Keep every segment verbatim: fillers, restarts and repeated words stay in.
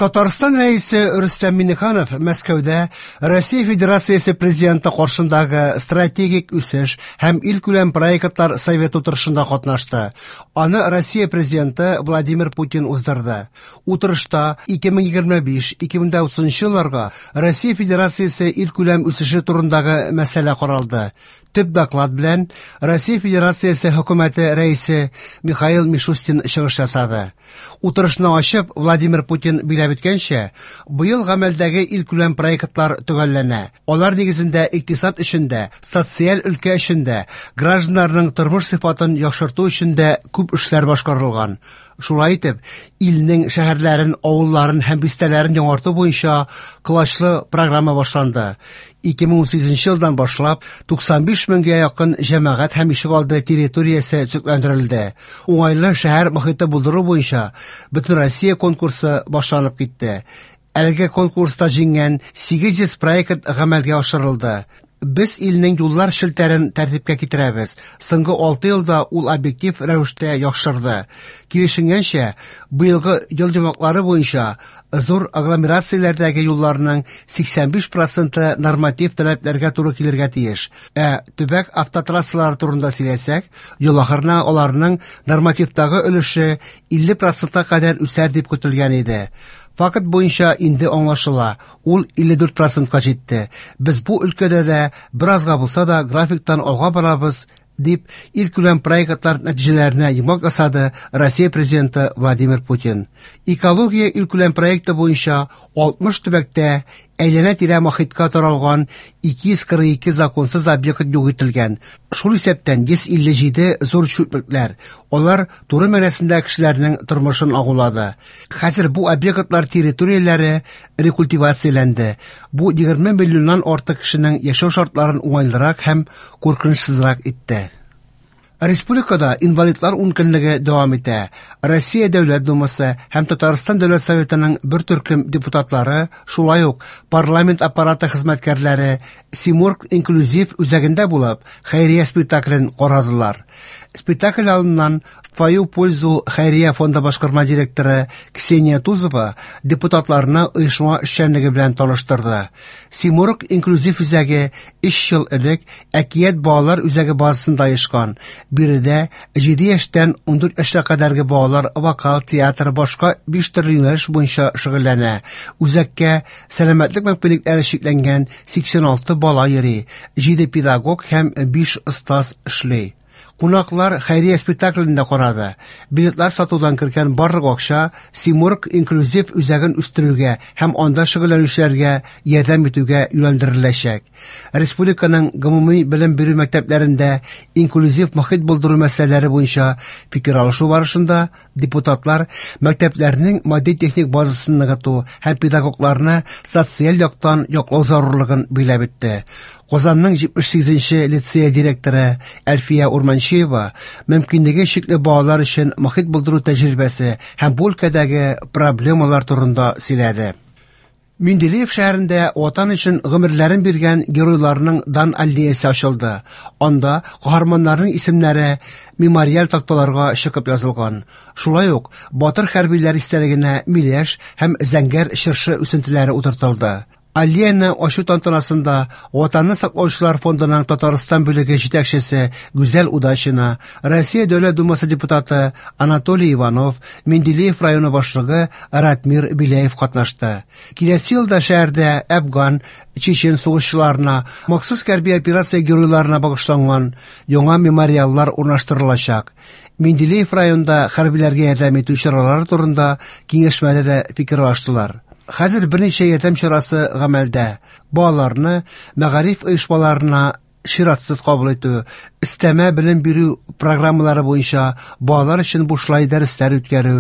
Татарстан Рәисе Рөстәм Миңнеханов Мәскәүдә Россия Федерациясе Президенты каршындагы стратегик үсеш һәм илкүләм проектлар советы утырышында катнашты. Аны Россия Президенты Владимир Путин уздырды. Утырышта ике мең егерме биш-ике мең утызынчы елларга Россия Федерациясе илкүләм үсеше турындагы мәсьәлә каралды. Төп доклад белән Россия Федерациясе хөкүмәте рәисе Михаил Мишустин чыгыш ясады. Утырышны ачып, Владимир Путин биләп үткәнчә, быел гамәлдәге илкүләм проектлар төгәлләнә. Алар нигезендә икътисад өчен дә, социаль өлкә өчен дә, гражданнарның тормыш сыйфатын яхшырту өчен дә күп эшләр башкарылган. Шулай итеп, илнең шәһәрләрен, авылларын һәм бистәләрен яңарту буенча колачлы программа башланды. Ике мең унсигезенче елдан башлап туксан биш меңгә якын җәмәгать һәм ишегалды территориясе төзекләндерелде. Уңайлы шәһәр мохите булдыру буенча Бөтенроссия конкурсы башланып китте. Әлеге конкурста җиңгән сигез йөз проект гамәлгә ашырылды. Без илнең юллар челтәрен тәртипкә китерәбез. Соңгы алты елда ул объектив рәвештә яхшырды. Килешенгәнчә, быелгы ел йомгаклары буенча зур агломерацияләрдәге юлларның сиксән биш проценты норматив таләпләргә туры килергә тиеш. Ә төбәк автотрассалары турында сөйләсәк, ел ахырына аларның нормативтагы өлеше илле процентка кадәр үсәр дип көтелгән иде. Факт буенча инде аңлашыла, ул илле дүрт процентка җитте. Без бу өлкәдә дә беразга булса да графиктан алга барабыз, дип илкүләм проектлар нәтиҗәләренә йомгак ясады Россия Президенты Владимир Путин. Экология илкүләм проекты буенча алтмыш төбәктә әйләнә-тирә мохиткә таралган ике йөз кырык ике законсыз объект юк ителгән. Шул исәптән йөз илле җиде зур чүплекләр. Алар туры мәгънәсендә кешеләрнең тормышын агулады. Хәзер бу объектлар территорияләре рекультивацияләнде. Бу егерме миллионнан артык кешенең яшәү шартларын уңайлырак һәм куркынычсызрак итте. Республикада инвалидлар ункөнлеге дәвам итә. Россия Дәүләт Думасы һәм Татарстан Дәүләт Советының бер төркем депутатлары, шулай ук парламент аппараты хезмәткәрләре Симург инклюзив үзәгендә булып, хәйрия спектаклен карадылар. Спектакль алдыннан В твою пользу хәйрия фонды башкарма директоры Ксения Тузова депутатларны оешма эшчәнлеге белән таныштырды. Симург инклюзив үзәге өч ел элек Әкият балалар үзәге базасында оешкан. Биредә җиде яшьтән ундүрт яшькә кадәрге балалар вокал, театр, башка биш төрле юнәлеш буенча шөгыльләнә. Үзәккә сәламәтлек мөмкинлекләре чикләнгән сиксән алты бала йөри, җиде педагог һәм биш остаз эшли. Кунаклар хәйрия спектаклен дә карады. Билетлар сатудан кергән барлык акча Симург инклюзив үзәген үстерүгә һәм анда шөгыльләнүчеләргә ярдәм итүгә юнәлдереләчәк. Республиканың гомуми белем бирү мәктәпләрендә инклюзив мохит булдыру мәсьәләләре буенча фикер алышу барышында депутатлар мәктәпләрнең матди-техник базасын ныгыту һәм педагогларны социаль яктан яклау зарурлыгын биләп үтте. Казанның җитмеш сигезенче лицей директоры Әлфия Урманчиева мөмкинлеге чикле балалар өчен мохит булдыру тәҗрибәсе һәм бу өлкәдәге проблемалар турында сөйләде. Менделеев шәһәрендә Ватан өчен гомерләрен биргән геройларның дан аллеясы ачылды. Анда каһарманнарның исемнәре мемориаль такталарга чыгып язылган. Шулай ук батыр хәрбиләр истәлегенә миләш һәм зәңгәр чыршы үсентеләре утыртылды. Аллеяны ачу тантанасында Ватанны саклаучылар фондының Татарстан бүлеге җитәкчесе Гүзәл Удачина, Россия Дәүләт Думасы депутаты Анатолий Иванов, Менделеев районы башлыгы Ратмир Беляев катнашты. Киләсе елда шәһәрдә Әфган, Чечен сугышчыларына, махсус хәрби операция геройларына багышланган яңа мемориаллар урнаштырылачак. Менделеев районында хәрбиләргә ярдәм итү чаралары турында киңәшмәдә дә фикер алыштылар. Хәзер берничә ярдәм чарасы гамәлдә. Балаларны мәгариф оешмаларына чиратсыз кабул итү, өстәмә белем бирү программалары буенча балалар өчен бушлай дәресләр үткәрү,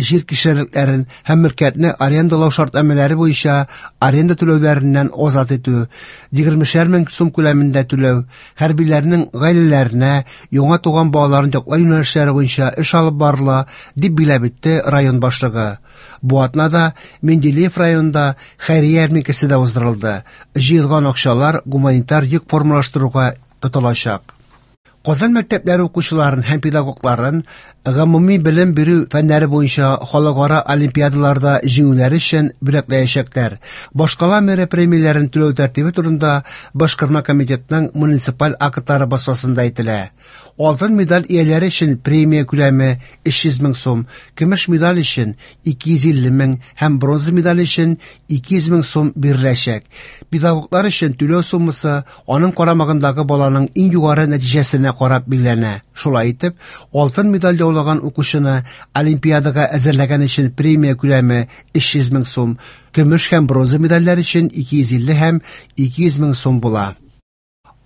җир кишәрлекләрен һәм мөлкәтне арендалау шартнамәләре буенча аренда түләүләреннән азат итү, егермешәр мең сум күләмендә түләү, хәрбиләрнең гаиләләренә яңа туган балаларын яклау юнәлешләре буенча эш алып барыла, дип биләп үтте район башлыгы. Бу атнада Менделеев районында хәйрия ярминкәсе дә уздырылды. Җыелган акчалар гуманитар йөк формалаштыруга тотылачак. Казан мәктәпләре укучыларын һәм педагогларын гомуми белем бирү фәннәре буенча халыкара олимпиадаларда җиңүләре өчен бүләкләячәкләр. Башкала мэры премияләрен түләү тәртибе турында Башкарма комитетның муниципаль актлары басмасында әйтелә. Алтын медаль ияләре өчен премия күләме өч йөз мең сум, көмеш медаль өчен ике йөз илле мең һәм бронза медаль өчен ике йөз мең сум биреләчәк. Педагоглар өчен түләү суммасы аның карамагындагы баланың иң югары нәтиҗәсенә карап билгеләнә. Шулай итеп, алтын медаль яулаган укучыны олимпиадага әзерләгән өчен премия күләме өч йөз мең сум, көмеш һәм бронза медальләр өчен ике йөз илле һәм ике йөз мең сум була.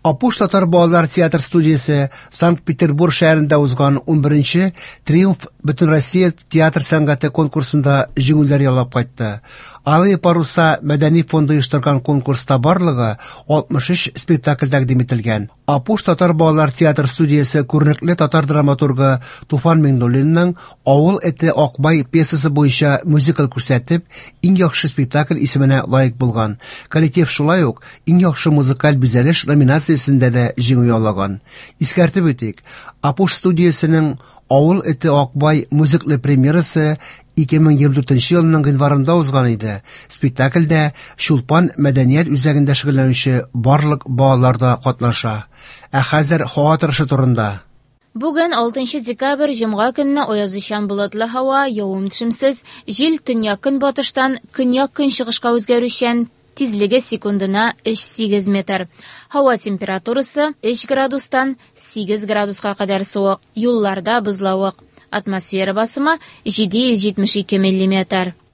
Апуш татар балалар театр студиясе Санкт-Петербург шәһәрендә узган унберенче Триумф Бөтенроссия театр сәнгате конкурсында җиңүләр яулап кайтты. Алые паруса мәдәни фонды оештырган конкурста барлыгы алтмыш өч спектакль тәкъдим ителгән. Апуш татар балалар театр студиясе күренекле татар драматургы Туфан Миңнуллинның Авыл эте Акбай пьесасы буенча мюзикл күрсәтеп, иң яхшы спектакль исеменә лаек булган. Коллектив шулай ук иң яхшы музыкаль бизәлеш номинациясендә дә җиңү яулаган. Искәртеп үтик, Апуш студиясенең Авыл эте Акбай мюзиклы премьерасы ике мең егерме дүртенче елның гыйнварында узган иде. Спектакльдә Чулпан мәдәният үзәгендә шөгыльләнүче барлык балалар да катнаша. Ә хәзер һава торышы турында. Бүген алтынчы декабрь җомга көнне аязучан болытлы һава, явым-төшемсез, җил төньяк-көнбатыштан көньяк-көнчыгышка үзгәрүчән, тизлеге секундына өч сигез метр. Һава температурасы өч градустан сигез градуска кадәр суык, юлларда бозлавык. Атмосфера басымы җиде йөз җитмеш ике миллиметр.